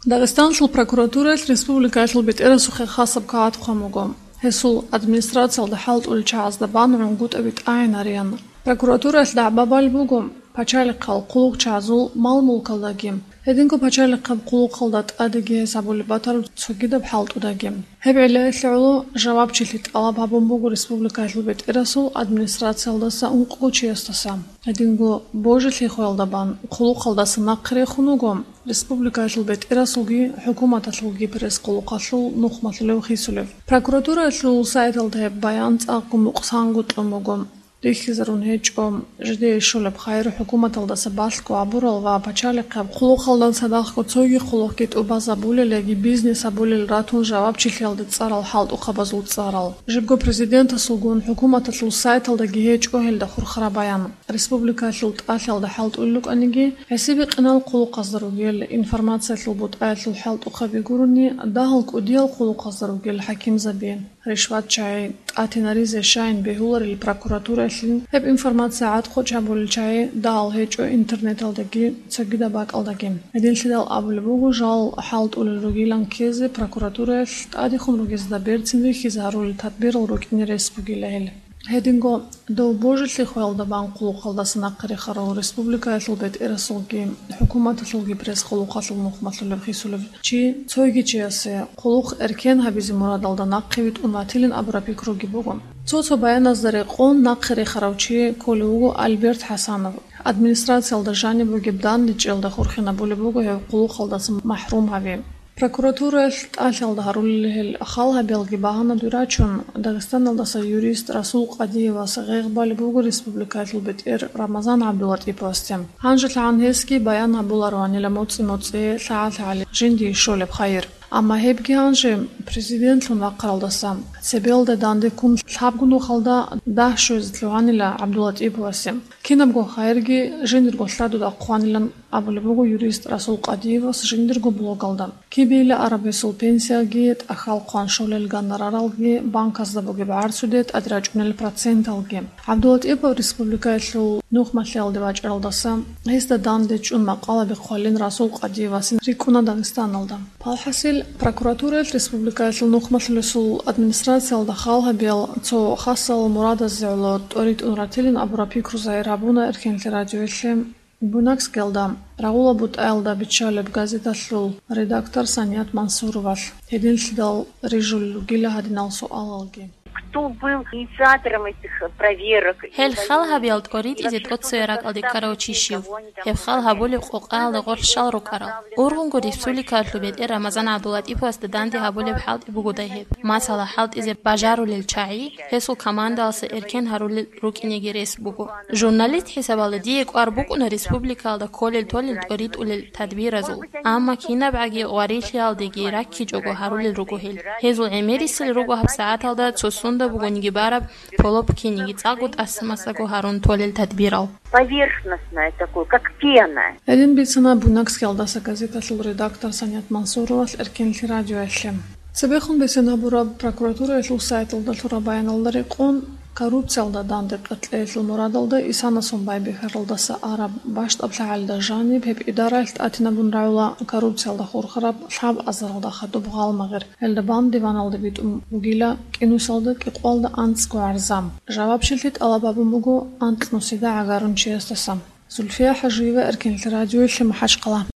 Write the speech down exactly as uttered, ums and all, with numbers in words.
Дагъистаналъул прокуратураялъ республикаялъул бетӀерасухъе хасаб кагъат хъван буго. Гьесул администрациялда хӀалтӀулел чагӀазда бан гӀунгутӀаби тӀагӀинариян. Прокуратураялъ дагӀба балеб буго пачалихъал хъулухъчагӀазул мал-мулкалдаги, гьединго пачалихъаб хъулухъалда тӀадеги гьес гьабулеб батараб цогидаб хӀалтӀудаги. Гьеб гӀелаялъе гӀоло жавабчилъи тӀалаб гьабун буго республикаялъул бетӀерасул администрациялдаса ункъго чиясдаса. Гьединго божилъи хвелда бан хъулухъалдаса нахъе рехун вуго республикаялъул бетӀерасулги хӀукуматалъулги пресс-хъулухъалъул нухмалъулев хисулев. Прокуратураялъул сайталда гьеб баян цӀакъго мукъсанго кьун буго. Рихьизарун гьечӀо, жидее щолеб хайр хӀукуматалдаса балъго гьабурал ва пачалихъаб хъулухъалда цадахъго цоги хъулухъги тӀубазабулел яги бизнес гьабулел ратун жавабчилъиялде цӀарал хӀалтӀухъабазул цӀарал. Жибго президентасулгун хӀукуматалъул сайталдаги гьечӀо гьелда хурхараб баян. Республикаялъул тӀалъиялда хӀалтӀулел рукӀаниги, гӀисибикъинал хъулухъазда ругел, информациялъул бутӀаялъул хӀалтӀухъаби гурони, дагьал кӀудиял хъулухъазда ругел хӀакимзаби, ришватчагӀи, тӀатинаризе щайин бегьуларел прокуратураялъе гьеб информация гӀадхъочӀ гьабулел чагӀи дагьал гьечӀо интернеталдаги цогидаб бакӀалдаги. Гьединлъидал абулеб буго, жал хӀалтӀулел ругилан ккезе прокуратураялъ тӀадехун ругезда берцин рихьизе гьарулел тадбирал рукӀине рес бугила гьел. Гьединго дов божилъи хвелда бан хъулухъалдаса нахъе рехарав республикаялъул бетӀерасулги хӀукуматалъулги пресс-хъулухъалъул нухмалъулев хисулев чи цойги чиясе хъулухъ эркен гьабизе мурадалда нахъе витӀун ватилин абураб пикруги буго. Цо-цо баяназда рекъон нахъе рехарав чи кколев вуго Альберт ХӀасанов. Администрациялда жаниб бугеб дандечӀелда хурхинабулеб буго гьев хъулухъалдаса махӀрум гьави. Прокуратураялъ тӀалъиялда гьарулел гьел хал гьабиялги багьанадуй рачун, Дагъистаналдаса юрист Расул Къадиевас гъегъ балеб буго республикаялъул бетӀер Рамазан ГӀабдулатӀиповасде. ГьанжелъагӀан гьесги баян гьабулароанила моцӀи-моцӀи, лъагӀа-лъагӀали жиндие щолеб хайир. Амма гьебги гьанже президентлъун вахъаралдаса цебелда данде ккун лъабго нухалда дагь щвезе лъугьанила ГӀабдулатӀиповасе. Кинабго хайирги жиндирго лъадуда хъванилан абулеб буго юрист Расул Къадиевас жиндирго блогалда. Кибейила араб гьесул пенсияги, тӀахьал хъван щолел гонораралги, банказда бугеб гӀарцуде тӀадрачӀунел проценталги. ГӀабдулатӀипов республикаялъул нухмалъиялде вачӀаралдаса гьесда данде чӀун макъалаби хъвалин Расул Къадиевасин рикӀкӀуна Дагъистаналда. Палхасил, прокуратураялъ республикаялъул нухмалъулесул администрациялда хал гьабиял цо хасал мурадазе гӀоло тӀоритӀун ратилин абураб пикру загьир гьабуна Эркенлъи радиоялъе. Буйнакскиялда рагъула бутӀаялда биччалеб газеталъул редактор Саният Мансуровалъ гьединлъидал рижулел ругила гьадинал суалалги. Кто был инициатором этих проверок? Гьел хал гьабиял тӀоритӀизе тӀоцеве ракӀалде ккарав чи щив? Гьеб хал гьабулеб къокъаялда гъоркь щал рукӀарал? Ургъунго республикаялъул бетӀер Рамазан ГӀабдулатӀиповасда данде гьабулеб хӀалтӀи бугодай гьеб? Масала, хӀалтӀизе бажарулел чагӀи гьесул командалъа эркен гьарулел рукӀинеги рес буго. Журналист хӀисабалда дие кӀвар букӀуна республикаялда кколел-толел тӀоритӀулел тадбиразул, амма кинабгӀаги гъварилъиялдеги раккичӀого гьарулел руго гьел. Гьезул гӀемерисел руго гьабсагӀаталда цо сунда бугониги бараб полоп киниги цӀакъго тӀаса-масаго гьарун толел тадбирал. Поверхностное такое, как пена. Гьедин бицана Буйнакскиялдаса газеталъул редактор Саният Мансуровалъ Эркенлъи радиоялъе. Цебехун бицен гьабураб прокуратураялъул сайталда лъураб баяналда рекъон, коррупциялда данде къеркьеялъул мурадалда исанасун байбихьаралдаса араб бащдаб лъагӀалда жаниб гьеб идараялъ тӀатинабун рагӀула коррупциялда хурхараб лъабазаралда хадуб гъалмагъир. Гьелда бан диваналда битӀун бугила кӀинусалда кӀикъоялда анцӀго гӀарза. Жавабчилъи тӀалаб гьабун буго анкьнусида гӀагарун чиясдаса. Зульфия ХӀажиева, Эркенлъи радиоялъе, МахӀачхъала.